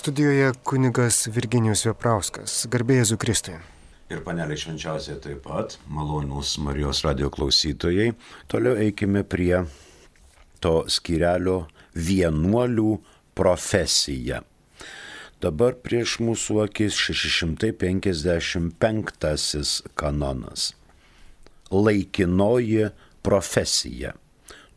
Studijoje kunigas Virginijus Veprauskas. Garbė Jėzui Kristui. Ir panelė švenčiausiai taip pat, malonūs Marijos radijo klausytojai. Toliau eikime prie to skyrelio vienuolių profesija. Dabar prieš mūsų akis 655 kanonas. Laikinoji profesija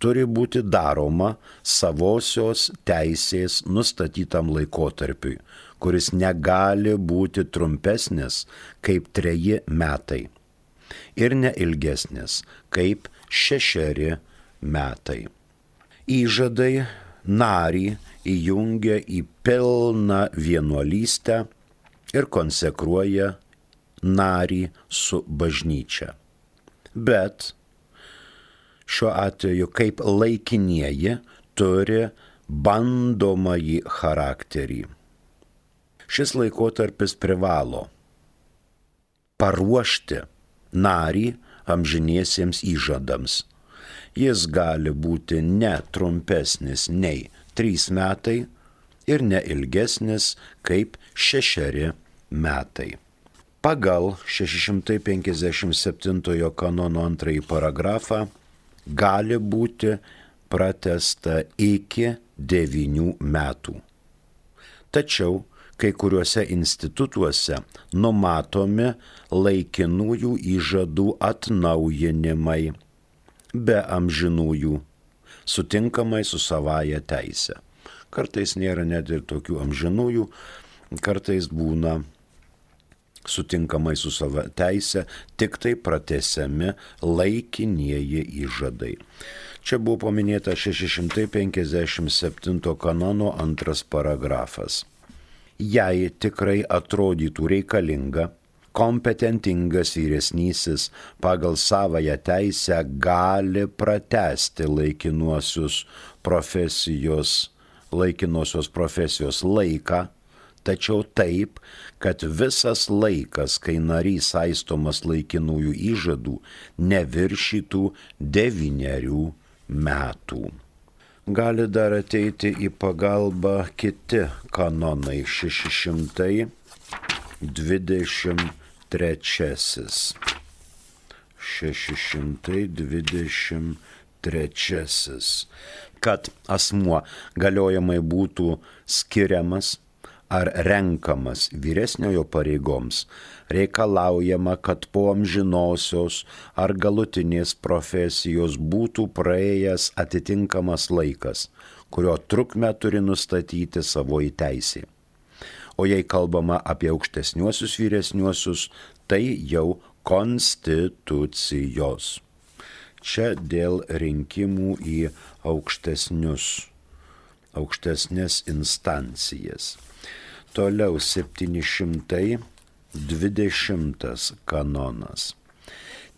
turi būti daroma savosios teisės nustatytam laikotarpiui, kuris negali būti trumpesnis kaip 3 metai ir neilgesnis kaip 6 metai. Įžadai narį įjungia į pilną vienuolystę ir konsekruoja narį su bažnyčia. Bet šiuo atveju kaip laikinieji turi bandomąjį charakterį. Šis laikotarpis privalo paruošti narį amžiniesiems įžadams. Jis gali būti ne trumpesnis nei 3 metai ir ne ilgesnis kaip 6 metai. Pagal 657 kanono 2 paragrafą gali būti pratęsta iki 9 metų. Tačiau kai kuriuose institutuose numatomi laikinųjų įžadų atnaujinimai be amžinųjų, sutinkamai su savaja teise. Kartais nėra net ir tokių amžinųjų, kartais būna sutinkamai su savo teise, tik tai pratęsiami laikinieji įžadai. Čia buvo paminėta 657 kanono 2 paragrafas. Jei tikrai atrodytų reikalinga, kompetentingas vyresnysis pagal savąją teisę gali pratęsti laikinosios profesijos laiką, tačiau taip, kad visas laikas, kai narys saistomas laikinųjų įžadų, neviršytų 9 metų. Gali dar ateiti į pagalbą kiti kanonai 623. Kad asmuo galiojamai būtų skiriamas ar renkamas vyresniojo pareigoms, reikalaujama, kad po amžinosios ar galutinės profesijos būtų praėjęs atitinkamas laikas, kurio trukmę turi nustatyti savoji teisė. O jei kalbama apie aukštesniuosius vyresniuosius, tai jau konstitucijos. Čia dėl rinkimų į aukštesnės instancijas. Toliau 720 kanonas.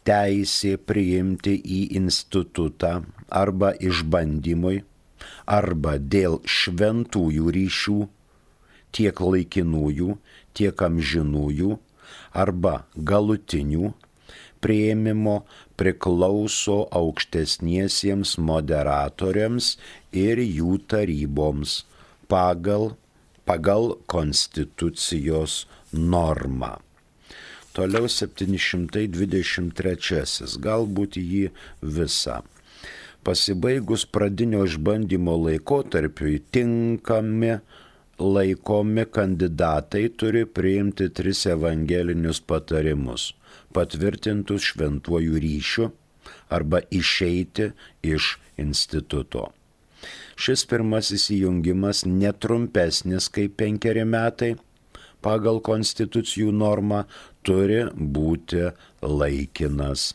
Teisė priimti į institutą arba išbandymui, arba dėl šventųjų ryšių, tiek laikinųjų, tiek amžinųjų, arba galutinių priėmimo priklauso aukštesniesiems moderatoriams ir jų taryboms pagal konstitucijos normą. Toliau 723, galbūt jį visą. Pasibaigus pradinio išbandymo laikotarpiui tinkami laikomi kandidatai turi priimti 3 evangelinius patarimus, patvirtintus šventuoju ryšiu arba išeiti iš instituto. Šis pirmasis įjungimas netrumpesnis kaip 5 metai, pagal konstitucijų normą turi būti laikinas.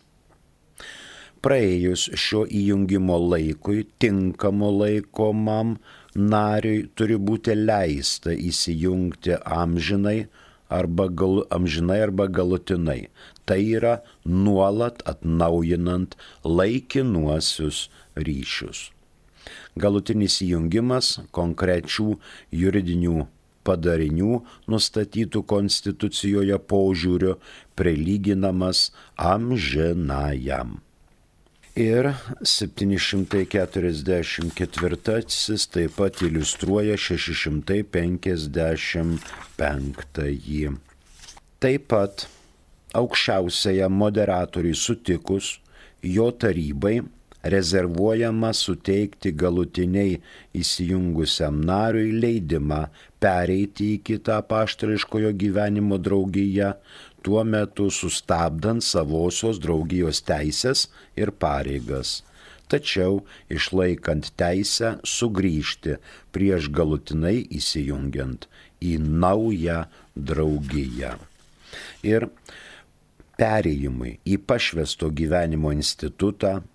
Praėjus šio įjungimo laikui, tinkamo laikomam nariui turi būti leista įsijungti amžinai arba galutinai. Tai yra nuolat atnaujinant laikinuosius ryšius. Galutinis įjungimas konkrečių juridinių padarinių nustatytų konstitucijoje požiūriu prilyginamas amžinajam. Ir 744 taip pat iliustruoja 655. Taip pat aukščiausiajam moderatoriui sutikus, jo tarybai rezervuojama suteikti galutiniai įsijungusiam nariui leidimą pereiti į kitą apaštališkojo gyvenimo draugiją, tuo metu sustabdant savosios draugijos teisės ir pareigas, tačiau išlaikant teisę sugrįžti prieš galutinai įsijungiant į naują draugiją. Ir perėjimui į pašvęsto gyvenimo institutą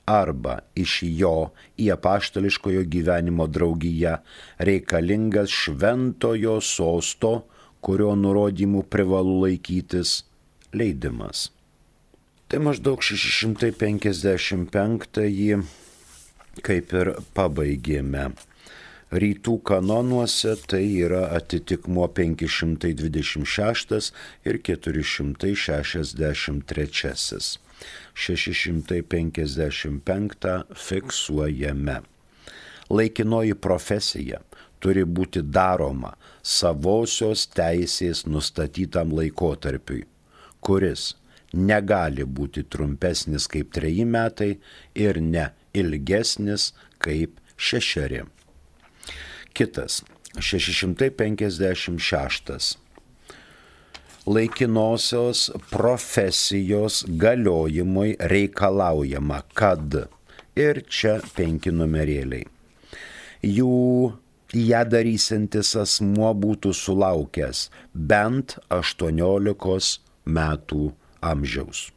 arba iš jo į apaštališkojo gyvenimo draugiją reikalingas šventojo sosto, kurio nurodymų privalu laikytis, leidimas. Tai maždaug 655 kaip ir pabaigėme. Rytų kanonuose tai yra atitikmuo 526 ir 463. 655 fiksuojame. Laikinoji profesija turi būti daroma savosios teisės nustatytam laikotarpiui, kuris negali būti trumpesnis kaip 3 metai ir ne ilgesnis kaip 6. Kitas, 656. Laikinosios profesijos galiojimui reikalaujama, kad ir čia 5 numerėliai. Ją darysiantis asmuo būtų sulaukęs bent 18 metų amžiaus,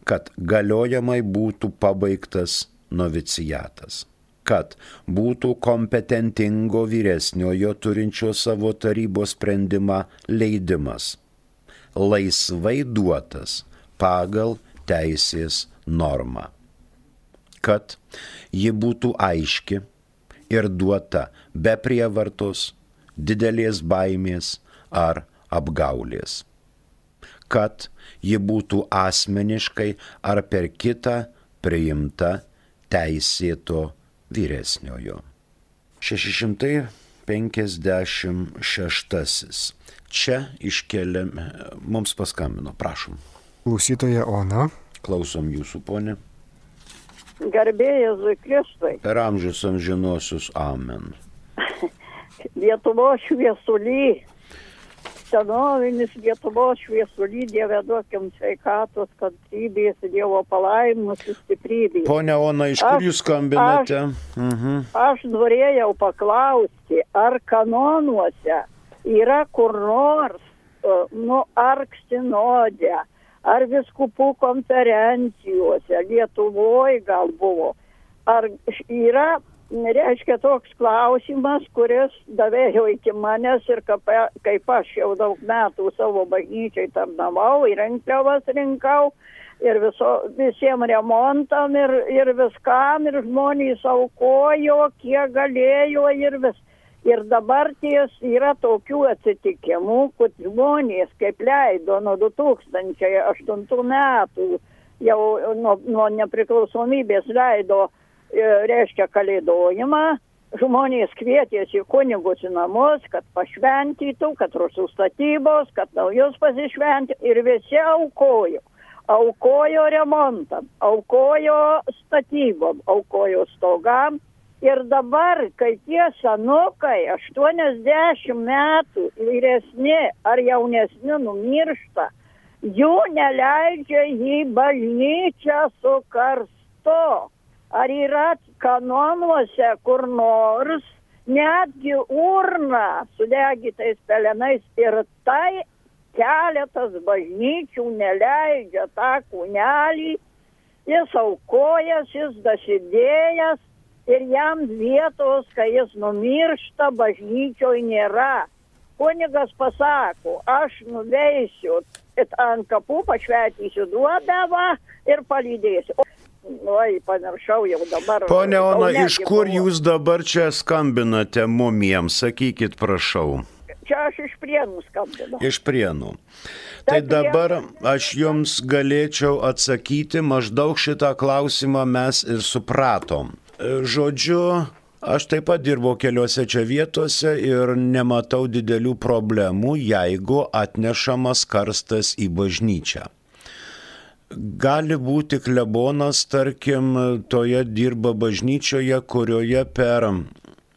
kad galiojamai būtų pabaigtas noviciatas, kad būtų kompetentingo vyresniojo turinčio savo tarybos sprendimą leidimas, laisvai duotas pagal teisės normą, kad ji būtų aiški ir duota be prievartos, didelės baimės ar apgaulės, kad ji būtų asmeniškai ar per kitą priimta teisėto vyresniojo. 656. Čia iškeliame, mums paskambino, prašom. Klausytoja Ona. Klausom jūsų, ponė. Garbė Jėzui Kristui. Per amžius amžinosius, amen. Lietuvos šviesulį, senovinis Lietuvos šviesulį, Dieve duokim sveikatos, kantrybės, Dievo palaiminus ir stiprybės. Pone Ona, iš kur jūs skambinate? Aš norėjau paklausti, ar kanonuose yra kur nors, ar sinode, ar viskupų konferencijose, Lietuvoje gal buvo, ar yra, reiškia, toks klausimas, kuris davėjo iki manęs ir kaip aš jau daug metų savo bažnyčiai tarnavau, ir rinkliavas rinkau, ir visiems remontam, ir viskam, ir žmonės aukojo, kiek galėjo, ir vis. Ir dabar yra tokių atsitikimų, kad žmonės, kaip leido nuo 2008 metų, jau nuo nepriklausomybės leido, reiškia, kalėdojimą, žmonės kvietėsi kunigus į namus, kad pašventytų, kad rusų statybos, kad naujus pasišventė, ir visi aukojo. Aukojo remontam, aukojo statybom, aukojo stogam. Ir dabar, kai tie senukai 80 metų vyresni ar jaunesni numiršta, jų neleidžia į bažnyčią su karstu. Ar yra kanonuose kur nors netgi urna su degitais pelenais, ir tai keletas bažnyčių neleidžia tą kūnelį, jis aukojas, jis dasidėjęs, ir jam vietos, kai jis numiršta, bažnyčioje nėra. Kunigas pasako, aš nuveisiu ant kapų, pašventysiu duobę ir palydėsiu. Oi, pamiršau jau dabar. Pone Ona, iš kur jūs dabar čia skambinate mumiems, sakykit, prašau. Čia aš iš Prienų skambinu. Iš Prienų. Tai dabar aš jums galėčiau atsakyti, maždaug šitą klausimą mes ir supratom. Žodžiu, aš taip pat dirbau keliose čia vietose ir nematau didelių problemų, jeigu atnešamas karstas į bažnyčią. Gali būti klebonas, tarkim, toje dirba bažnyčioje, kurioje per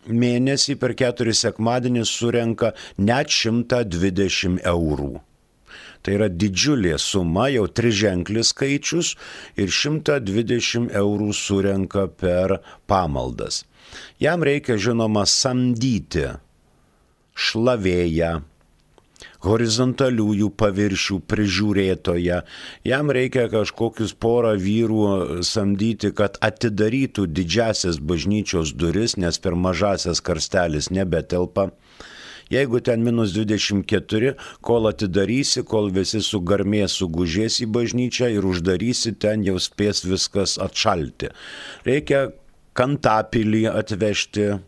mėnesį, per 4 sekmadienį surenka net 120 eurų. Tai yra didžiulė suma, jau 3-ženklis skaičius ir 120 eurų surenka per pamaldas. Jam reikia, žinoma, samdyti šlavėją, horizontaliųjų paviršių prižiūrėtoją. Jam reikia kažkokius porą vyrų samdyti, kad atidarytų didžiasias bažnyčios duris, nes per mažasias karstelis nebetelpa. Jeigu ten -24, kol atidarysi, kol visi sugarmės sugužės į bažnyčią ir uždarysi, ten jau spės viskas atšalti. Reikia kantapilį atvežti,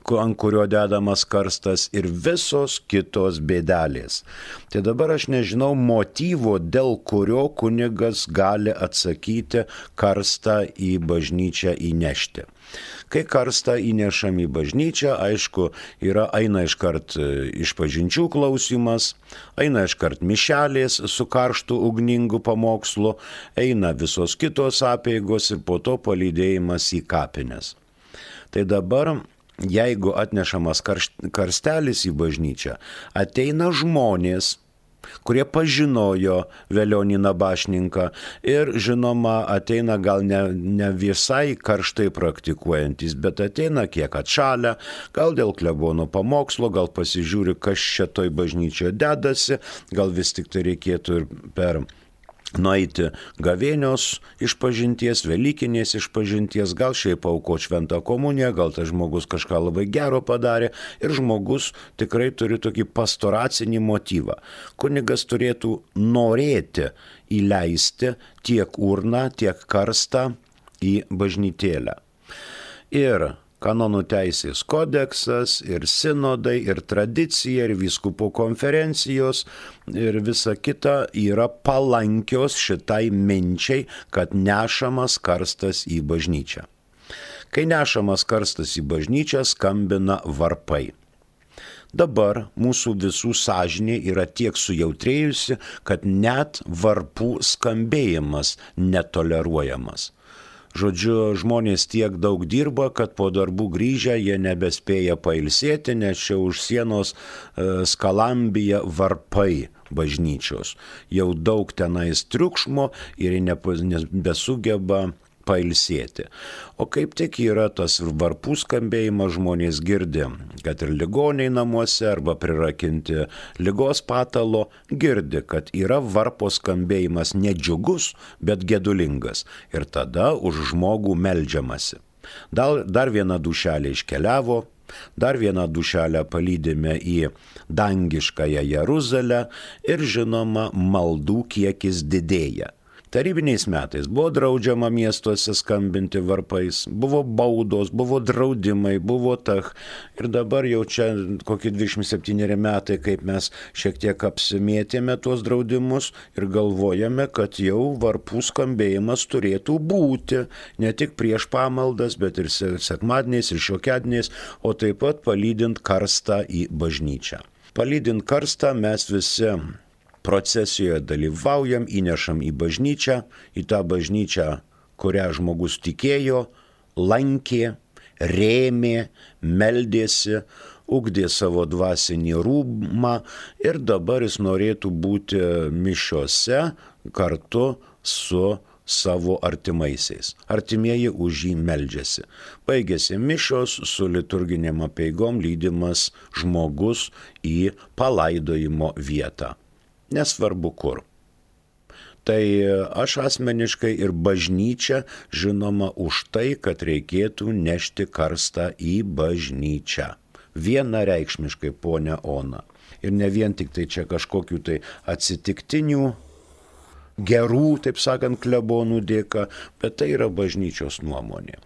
ant kurio dedamas karstas ir visos kitos bėdelės. Tai dabar aš nežinau motyvo, dėl kurio kunigas gali atsakyti karstą į bažnyčią įnešti. Kai karstą įnešam į bažnyčią, aišku, eina iškart išpažinčių klausimas, eina iškart mišelės su karštu ugningu pamokslu, eina visos kitos apeigos ir po to palydėjimas į kapines. Tai dabar, jeigu atnešamas karstelis į bažnyčią, ateina žmonės, kurie pažinojo Velionį Nabašninką ir, žinoma, ateina gal ne visai karštai praktikuojantis, bet ateina kiek atšalę, gal dėl klebono pamokslo, gal pasižiūri, kas čia toj bažnyčioje dedasi, gal vis tik tai reikėtų ir per nueiti gavėnios išpažinties, velykinės išpažinties, gal šiaip aukoti šventą komuniją, gal tas žmogus kažką labai gero padarė ir žmogus tikrai turi tokį pastoracinį motyvą. Kunigas turėtų norėti įleisti tiek urną, tiek karstą į bažnytėlę. Ir kanonų teisės kodeksas, ir sinodai, ir tradicija, ir vyskupų konferencijos, ir visa kita yra palankios šitai minčiai, kad nešamas karstas į bažnyčią. Kai nešamas karstas į bažnyčią, skambina varpai. Dabar mūsų visų sąžinė yra tiek sujautrėjusi, kad net varpų skambėjimas netoleruojamas. Žodžiu, žmonės tiek daug dirba, kad po darbų grįžę jie nebespėja pailsėti, nes čia už sienos skalambija varpai bažnyčios. Jau daug tenais triukšmo ir nebesugeba pailsėti. O kaip tik yra tas varpų skambėjimas, žmonės girdi, kad ir ligoniai namuose arba prirakinti ligos patalo, girdi, kad yra varpo skambėjimas nedžiugus, bet gedulingas. Ir tada už žmogų meldžiamasi. Dar viena dušelė iškeliavo, dar vieną dušelę palydime į dangiškąją Jeruzalę ir, žinoma, maldų kiekis didėja. Tarybiniais metais buvo draudžiama miestuose skambinti varpais, buvo baudos, buvo draudimai, buvo ir dabar jau čia kokie 27 metai, kaip mes šiek tiek apsimėtėme tuos draudimus ir galvojame, kad jau varpų skambėjimas turėtų būti ne tik prieš pamaldas, bet ir sekmadieniais ir šiokiadieniais, o taip pat palydint karstą į bažnyčią. Palydint karstą mes visi procesijoje dalyvaujam, įnešam į bažnyčią, į tą bažnyčią, kurią žmogus tikėjo, lankė, rėmė, meldėsi, ugdė savo dvasinį rūbą ir dabar jis norėtų būti mišiose kartu su savo artimaisiais. Artimieji už jį meldžiasi. Baigėsi mišios su liturginėm apeigom lydimas žmogus į palaidojimo vietą. Nesvarbu kur. Tai aš asmeniškai ir bažnyčia žinoma už tai, kad reikėtų nešti karstą į bažnyčią. Vienareikšmiškai, ponia Ona. Ir ne vien tik tai čia kažkokių tai atsitiktinių, gerų, taip sakant, klebonų dėka, bet tai yra bažnyčios nuomonė.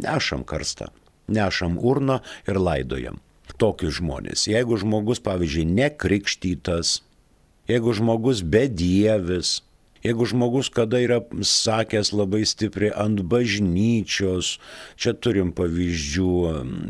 Nešam karstą, nešam urną ir laidojam. tokius žmonės. Jeigu žmogus, pavyzdžiui, nekrikštytas, jeigu žmogus bedievis, jeigu žmogus kada yra sakęs labai stipriai ant bažnyčios, čia turim pavyzdžių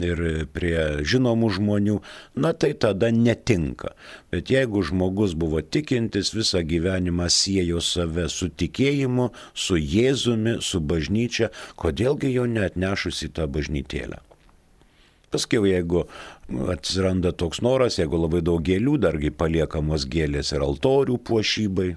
ir prie žinomų žmonių, na tai tada netinka. Bet jeigu žmogus buvo tikintis, visą gyvenimą siejo save su tikėjimu, su Jėzumi, su bažnyčia, kodėlgi jo neatnešus į tą bažnytėlę? Paskiau, jeigu atsiranda toks noras, jeigu labai daug gėlių, dargi paliekamos gėlės ir altorių puošybai.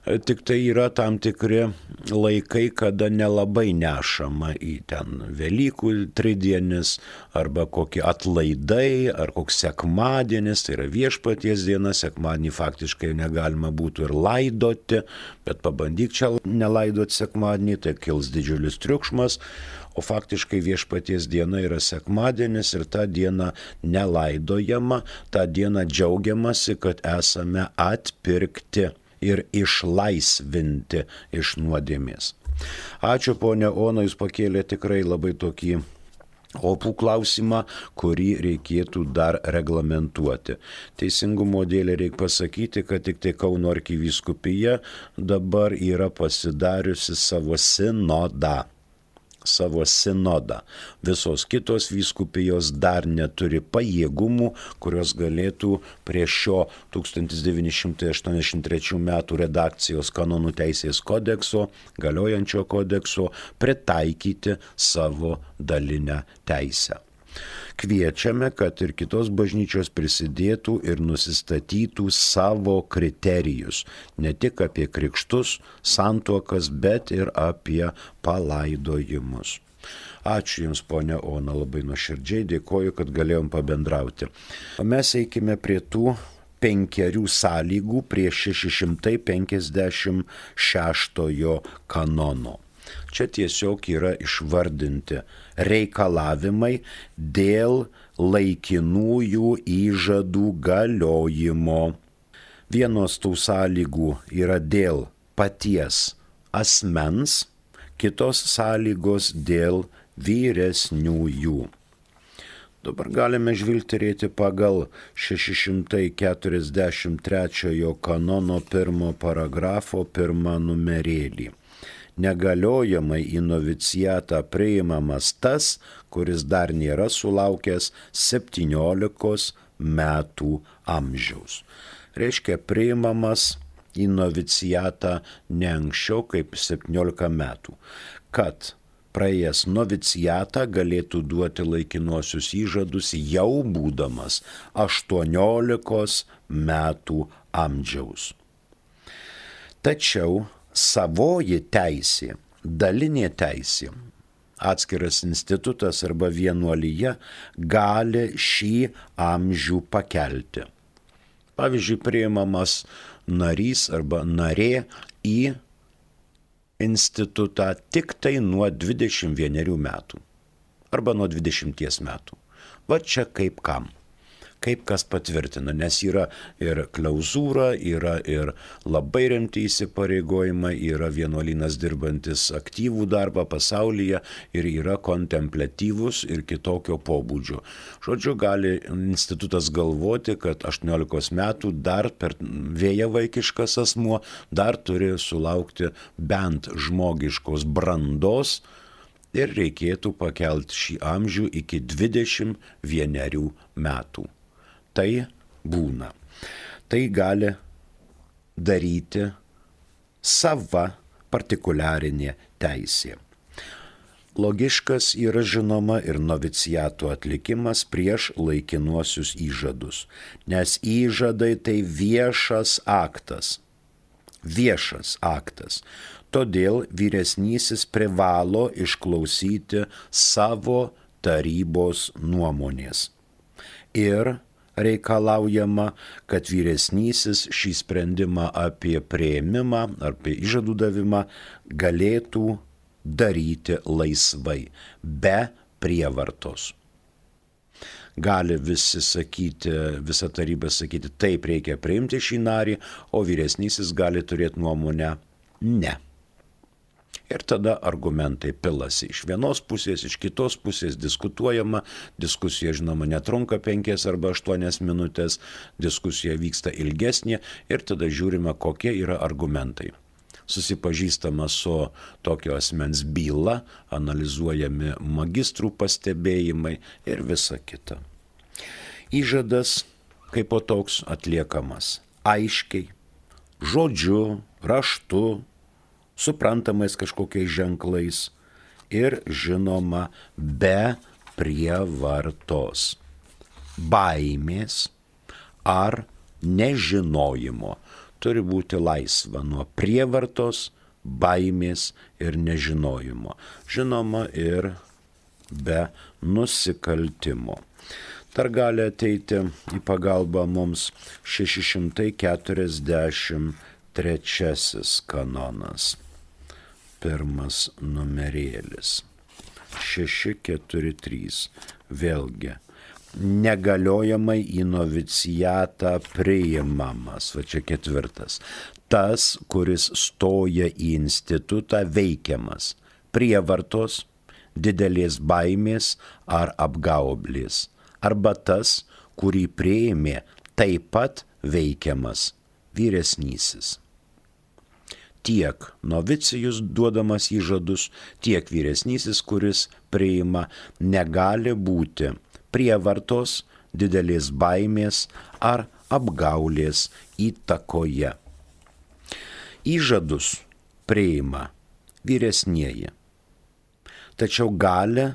Tik tai yra tam tikri laikai, kada nelabai nešama į ten Velykų tridienis arba kokie atlaidai ar koks sekmadienis, tai yra Viešpaties diena, sekmadienį faktiškai negalima būtų ir laidoti, bet pabandyk čia nelaidoti sekmadienį, tai kils didžiulis triukšmas, o faktiškai Viešpaties diena yra sekmadienis ir tą dieną nelaidojama, tą dieną džiaugiamasi, kad esame atpirkti ir išlaisvinti iš nuodėmės. Ačiū, ponia Ona, jūs pakėlė tikrai labai tokį opų klausimą, kurį reikėtų dar reglamentuoti. Teisingumo dėlė reikia pasakyti, kad tik tai Kauno arkivyskupija dabar yra pasidariusi savo sinodą. Visos kitos vyskupijos dar neturi pajėgumų, kurios galėtų prie šio 1983 metų redakcijos kanonų teisės kodekso, galiojančio kodekso, pritaikyti savo dalinę teisę. Kviečiame, kad ir kitos bažnyčios prisidėtų ir nusistatytų savo kriterijus, ne tik apie krikštus, santuokas, bet ir apie palaidojimus. Ačiū Jums, ponia Ona, labai nuoširdžiai dėkoju, kad galėjom pabendrauti. O mes eikime prie tų 5 sąlygų prie 656 kanono. Čia tiesiog yra išvardinti reikalavimai dėl laikinųjų įžadų galiojimo. Vienos tų sąlygų yra dėl paties asmens, kitos sąlygos dėl vyresniųjų. Dabar galime žvilgterėti pagal 643 kanono 1 paragrafo 1 numerėlį. Negaliojamai į novicijatą priimamas tas, kuris dar nėra sulaukęs 17 metų amžiaus. Reiškia, priimamas į novicijatą ne anksčiau kaip 17 metų, kad praėjęs novicijatą galėtų duoti laikinuosius įžadus jau būdamas 18 metų amžiaus. Tačiau savoji teisė, dalinė teisė, atskiras institutas arba vienuolija gali šį amžių pakelti. Pavyzdžiui, priimamas narys arba narė į institutą tik tai nuo 21 metų arba nuo 20 metų. Va čia kaip kam. Kaip kas patvirtina, nes yra ir klauzūra, yra ir labai rimti įsipareigojimai, yra vienuolynas dirbantis aktyvų darbą pasaulyje ir yra kontempliatyvus ir kitokio pobūdžio. Žodžiu, gali institutas galvoti, kad 18 metų dar per vėjavaikiškas asmuo dar turi sulaukti bent žmogiškos brandos ir reikėtų pakelti šį amžių iki 21 metų. Tai būna. Tai gali daryti sava partikuliarinė teisė. Logiškas yra žinoma ir noviciato atlikimas prieš laikinuosius įžadus, nes įžadai tai viešas aktas. Viešas aktas. Todėl vyresnysis privalo išklausyti savo tarybos nuomonės. Ir reikalaujama, kad vyresnysis šį sprendimą apie priėmimą ar apie įžadų davimą galėtų daryti laisvai, be prievartos. Gali visa taryba sakyti, taip reikia priimti šį narį, o vyresnysis gali turėti nuomonę ne. Ir tada argumentai pilasi iš vienos pusės, iš kitos pusės diskutuojama, diskusija žinoma netrunka 5 arba 8 minutės, diskusija vyksta ilgesnė ir tada žiūrime, kokie yra argumentai. Susipažįstama su tokio asmens byla, analizuojami magistrų pastebėjimai ir visa kita. Įžadas kaip po toks atliekamas aiškiai, žodžiu, raštu, suprantamais kažkokiais ženklais ir žinoma be prievartos, baimės ar nežinojimo. Turi būti laisva nuo prievartos, baimės ir nežinojimo. Žinoma ir be nusikaltimo. Dar gali ateiti į pagalbą mums 643 kanonas. Pirmas numerėlis. 643. Vėlgi. Negaliojamai į novicijatą priimamas. Va čia 4. Tas, kuris stoja į institutą veikiamas. Prievartos, didelės baimės ar apgaublės. Arba tas, kurį priėmė taip pat veikiamas vyresnysis. Tiek novicijus duodamas įžadus, tiek vyresnysis, kuris priima, negali būti prievartos, didelės baimės ar apgaulės įtakoje. Įžadus priima vyresnieji, tačiau gali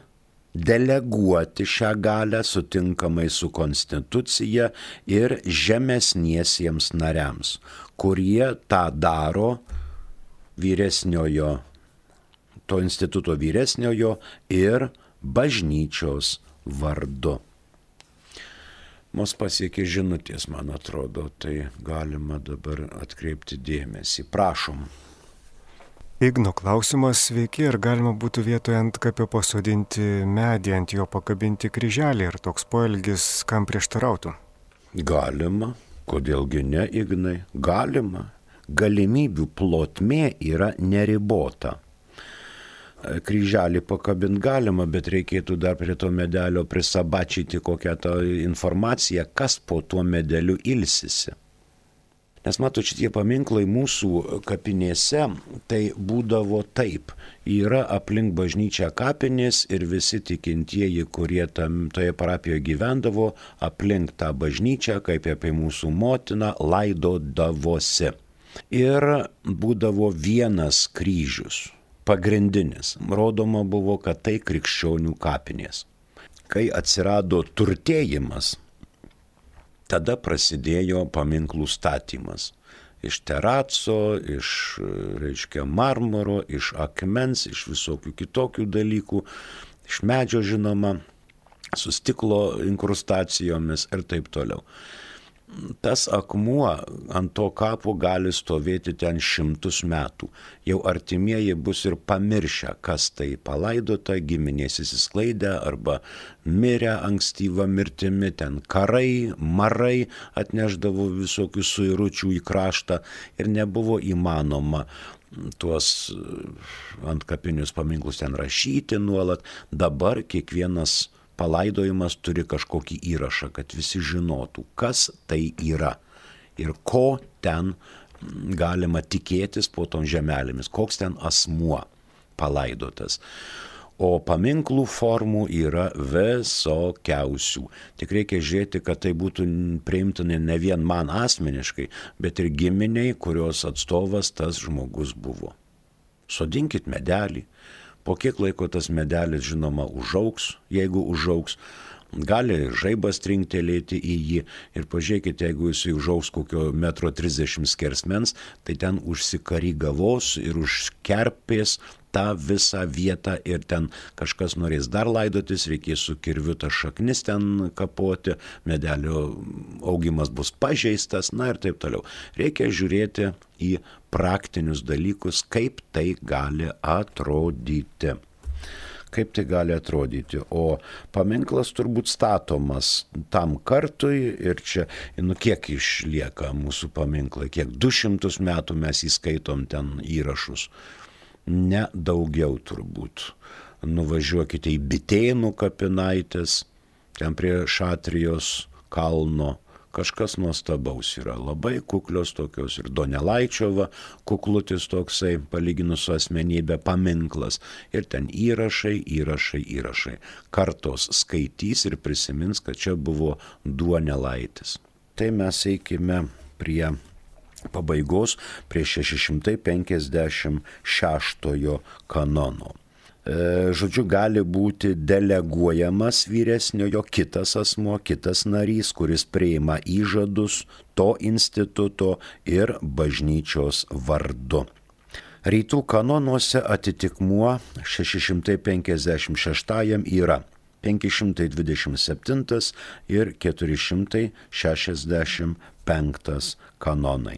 deleguoti šią galią sutinkamai su konstitucija ir žemesniesiems nariams, kurie tą daro vyresniojo, to instituto vyresniojo ir bažnyčios vardu. Mus pasiekė žinutės, man atrodo, tai galima dabar atkreipti dėmesį. Prašom. Igno klausimas, sveiki, ar galima būtų vietoje antkapio pasodinti medį, ant jo pakabinti kryželį ir toks poelgis kam prieštarautų? Galima, kodėlgi ne, Ignai, galima. Galimybių plotmė yra neribota. Kryželį pakabinti galima, bet reikėtų dar prie to medelio prisabačyti kokią tą informaciją, kas po tuo medeliu ilsisi. Nes matot, šitie paminklai mūsų kapinėse, tai būdavo taip. Yra aplink bažnyčią kapinės ir visi tikintieji, kurie toje parapijoje gyvendavo, aplink tą bažnyčią, kaip apie mūsų motiną, laidodavosi. Ir būdavo vienas kryžius, pagrindinis. Rodoma buvo, kad tai krikščionių kapinės. Kai atsirado turtėjimas, tada prasidėjo paminklų statymas. Iš teraco, iš marmuro, iš akmens, iš visokių kitokių dalykų, iš medžio žinoma, su stiklo inkrustacijomis ir taip toliau. Tas akmuo ant to kapo gali stovėti ten 100 metų. Jau artimieji bus ir pamiršę, kas tai palaidota, giminės įsisklaidę arba mirę ankstyvą mirtimi, ten karai, marai atneždavo visokių suiručių į kraštą ir nebuvo įmanoma tuos antkapinius paminklus ten rašyti nuolat. Dabar kiekvienas palaidojimas turi kažkokį įrašą, kad visi žinotų, kas tai yra ir ko ten galima tikėtis po tom žemelėmis, koks ten asmuo palaidotas. O paminklų formų yra visokiausių. Tik reikia žiūrėti, kad tai būtų priimtina ne vien man asmeniškai, bet ir giminiai, kurios atstovas tas žmogus buvo. Sodinkit medelį. Po kiek laiko tas medelis, žinoma, užaugs, jeigu užaugs, gali žaibas trinktelėti į jį ir pažiūrėkite, jeigu jis užaugs kokio 1,30 m skersmens, tai ten užsikarygavos ir užkerpės tą visą vietą ir ten kažkas norės dar laidotis, reikės su kirviu tą šaknis ten kapoti, medelio augimas bus pažeistas, na ir taip toliau. Reikia žiūrėti į praktinius dalykus, kaip tai gali atrodyti. Kaip tai gali atrodyti. O paminklas turbūt statomas tam kartui ir čia, kiek išlieka mūsų paminklai, kiek 200 metų mes įskaitom ten įrašus. ne daugiau turbūt. Nuvažiuokite į Bitėnų kapinaitės, ten prie Šatrijos kalno. Kažkas nuostabaus yra, labai kuklios tokios ir Donelaičio kuklutis toksai, palyginus su asmenybė, paminklas. Ir ten įrašai. Kartos skaitys ir prisimins, kad čia buvo Duonelaitis. Tai mes eikime prie pabaigos, prie 656 kanono. Žodžiu, gali būti deleguojamas vyresniojo kitas asmuo, kitas narys, kuris priima įžadus to instituto ir bažnyčios vardu. Rytų kanonuose atitikmuo 656 yra 527 ir 465 kanonai.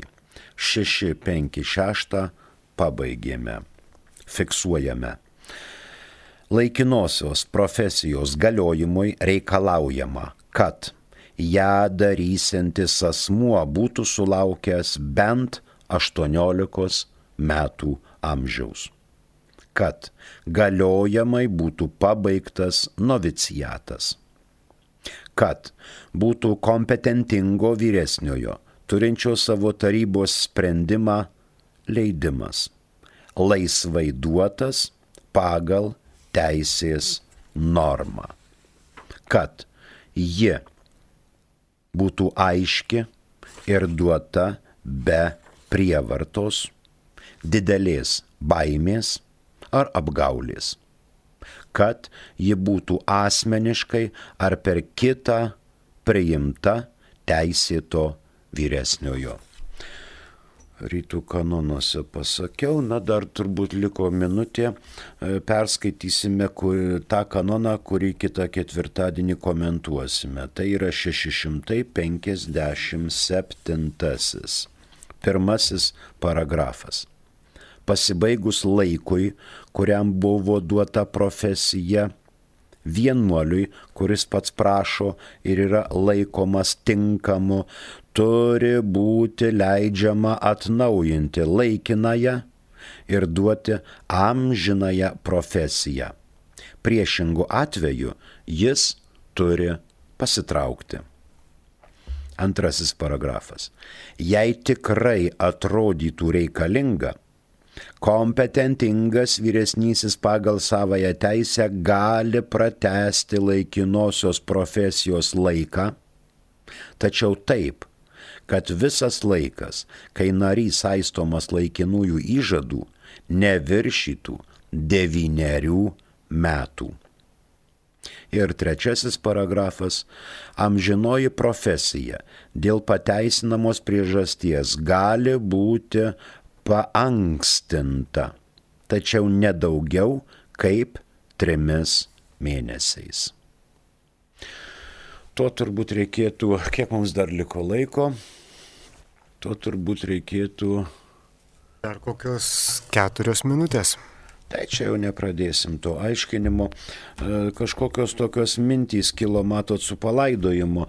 656 pabaigėme, fiksuojame. Laikinosios profesijos galiojimui reikalaujama, kad ją darysiantis asmuo būtų sulaukęs bent 18 metų amžiaus, kad galiojamai būtų pabaigtas noviciatas, kad būtų kompetentingo vyresniojo, turinčio savo tarybos sprendimą leidimas, laisvai duotas pagal teisės normą, kad ji būtų aiški ir duota be prievartos, didelės baimės ar apgaulės, kad ji būtų asmeniškai ar per kitą priimta teisėto vyresniojo. Rytų kanonuose pasakiau, dar turbūt liko minutė, perskaitysime tą kanoną, kurį kitą ketvirtadienį komentuosime. Tai yra 657. Pirmasis paragrafas. Pasibaigus laikui, kuriam buvo duota profesija, vienuoliui, kuris pats prašo ir yra laikomas tinkamu, turi būti leidžiama atnaujinti laikinąją ir duoti amžinąją profesiją. Priešingu atveju jis turi pasitraukti. Antrasis paragrafas. Jei tikrai atrodytų reikalinga, kompetentingas vyresnysis pagal savąją teisę gali pratęsti laikinosios profesijos laiką, tačiau taip, kad visas laikas, kai narys saistomas laikinųjų įžadų, neviršytų 9 metų. Ir trečiasis paragrafas. Amžinoji profesija dėl pateisinamos priežasties gali būti paankstinta, tačiau nedaugiau kaip 3 mėnesiais. To turbūt reikėtų, kiek mums dar liko laiko, to turbūt reikėtų... Dar kokios 4 minutės. Tai čia jau nepradėsim to aiškinimo. Kažkokios tokios mintys kilo, matot, su palaidojimu.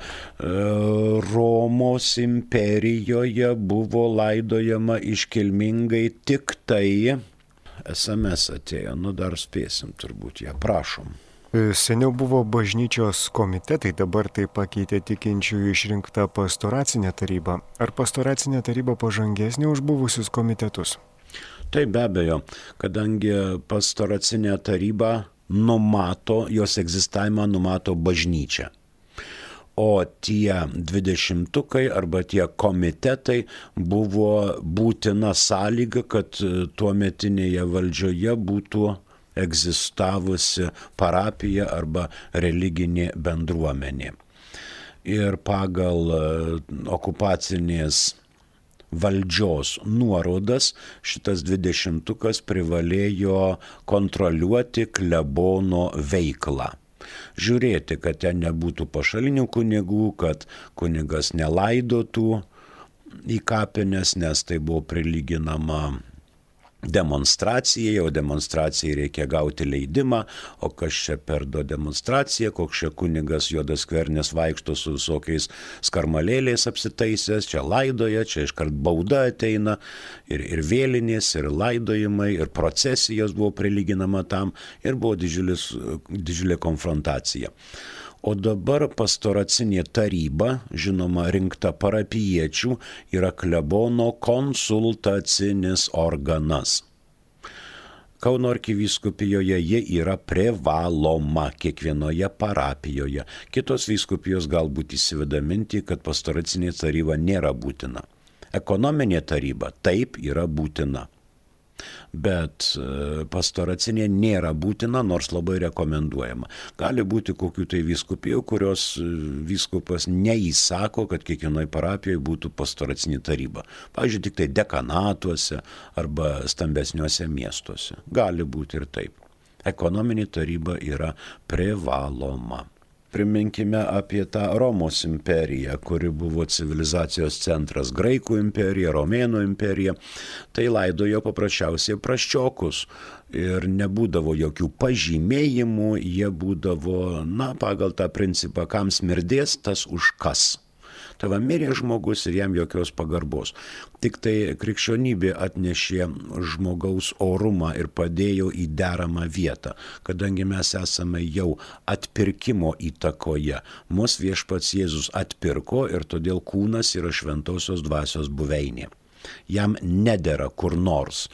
Romos imperijoje buvo laidojama iškilmingai tik tai. SMS atėjo, dar spėsim turbūt ją, prašom. Seniau buvo bažnyčios komitetai, dabar tai pakeitė tikinčiųjų išrinktą pastoracinę tarybą. Ar pastoracinė taryba pažangesnė už buvusius komitetus? Tai be abejo, kadangi pastoracinė taryba numato, jos egzistavimą numato bažnyčia. O tie 20-tukai arba tie komitetai buvo būtina sąlyga, kad tuometinėje valdžioje būtų egzistavusi parapija arba religinė bendruomenė. Ir pagal okupacinės valdžios nuorodas šitas 20-tukas privalėjo kontroliuoti klebono veiklą. Žiūrėti, kad ten nebūtų pašalinių kunigų, kad kunigas nelaidotų į kapines, nes tai buvo prilyginama demonstracijai, o demonstracijai reikia gauti leidimą, o kas čia per demonstracija, koks čia kunigas Juodas Skvernis vaikšto su visokiais skarmalėliais apsitaisęs, čia laidoja, čia iškart bauda ateina, ir vėlinės, ir laidojimai, ir procesijos buvo prilyginama tam, ir buvo didžiulė konfrontacija. O dabar pastoracinė taryba, žinoma, rinkta parapijiečių, yra klebono konsultacinis organas. Kauno arkivyskupijoje ji yra privaloma kiekvienoje parapijoje. Kitos vyskupijos galbūt įsiveda mintį, kad pastoracinė taryba nėra būtina. Ekonominė taryba taip yra būtina. Bet pastoracinė nėra būtina, nors labai rekomenduojama. Gali būti kokių tai vyskupijų, kurios vyskupas neįsako, kad kiekvienoje parapijoje būtų pastoracinė taryba. Pavyzdžiui, tik tai dekanatuose arba stambesniuose miestuose. Gali būti ir taip. Ekonominė taryba yra privaloma. Priminkime apie tą Romos imperiją, kuri buvo civilizacijos centras, Graikų imperija, Romėnų imperija. Tai laidojo paprasčiausiai prasčiokus ir nebūdavo jokių pažymėjimų, jie būdavo, pagal tą principą, kam smirdės, tas užkas. Tai va, mirė žmogus ir jam jokios pagarbos. Tik tai krikščionybė atnešė žmogaus orumą ir padėjo į deramą vietą, kadangi mes esame jau atpirkimo įtakoje. Mus Viešpats Jėzus atpirko ir todėl kūnas yra šventosios dvasios buveinė. Jam nedera kur nors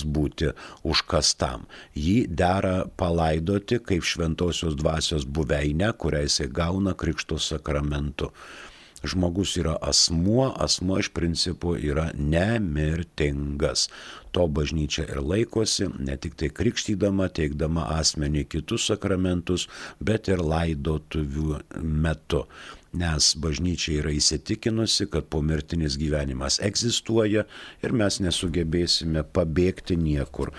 būti užkastam. Jį dera palaidoti kaip šventosios dvasios buveinę, kurią jisai gauna krikšto sakramentu. Žmogus yra asmuo iš principo yra nemirtingas. To bažnyčia ir laikosi, ne tik tai krikštydama, teikdama asmenį kitus sakramentus, bet ir laidotuvių metu. Nes bažnyčia yra įsitikinusi, kad pomirtinis gyvenimas egzistuoja ir mes nesugebėsime pabėgti niekur.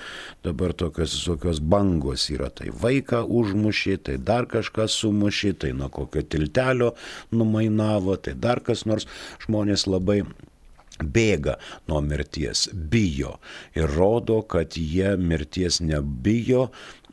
Dabar tokios bangos yra, tai vaiką užmušė, tai dar kažką sumušė, tai nuo kokio tiltelio numainavo, tai dar kas nors. Žmonės labai bėga nuo mirties, bijo ir rodo, kad jie mirties nebijo,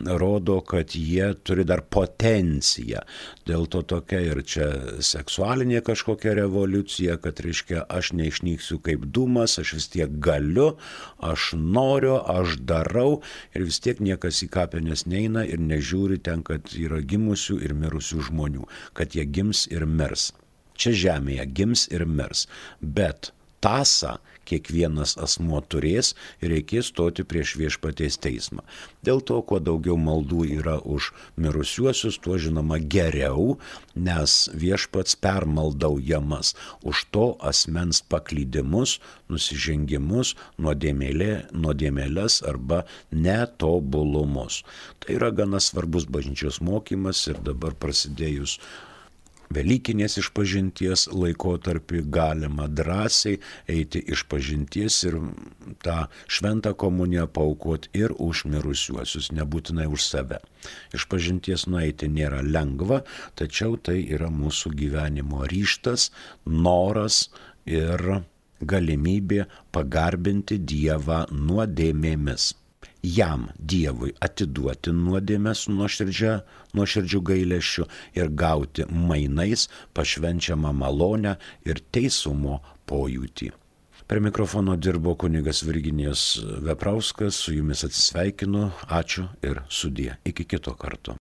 rodo, kad jie turi dar potenciją. Dėl to tokia ir čia seksualinė kažkokia revoliucija, kad reiškia, aš neišnyksiu kaip dūmas, aš vis tiek galiu, aš noriu, aš darau ir vis tiek niekas į kapines neina ir nežiūri ten, kad yra gimusių ir mirusių žmonių, kad jie gims ir mirs. Čia žemėje gims ir mirs, bet tąsą kiekvienas asmuo turės ir reikės stoti prieš Viešpaties teismą. Dėl to, kuo daugiau maldų yra už mirusiuosius, tuo žinoma geriau, nes Viešpats permaldaujamas už to asmens paklydimus, nusižengimus, nuodėmėles arba netobulumus. Tai yra gana svarbus bažnyčios mokymas ir dabar prasidėjus Velykinės išpažinties laikotarpį galima drąsiai eiti išpažinties ir tą šventą komuniją paaukoti ir už mirusiuosius, nebūtinai už save. Išpažinties nueiti nėra lengva, tačiau tai yra mūsų gyvenimo ryžtas, noras ir galimybė pagarbinti Dievą nuodėmėmis. Jam, Dievui, atiduoti nuodėmes su nuoširdžiu gailesčiu ir gauti mainais pašvenčiamą malonę ir teisumo pojūtį. Prie mikrofono dirbo kunigas Virginijus Veprauskas, su jumis atsisveikinu, ačiū ir sudie. Iki kito karto.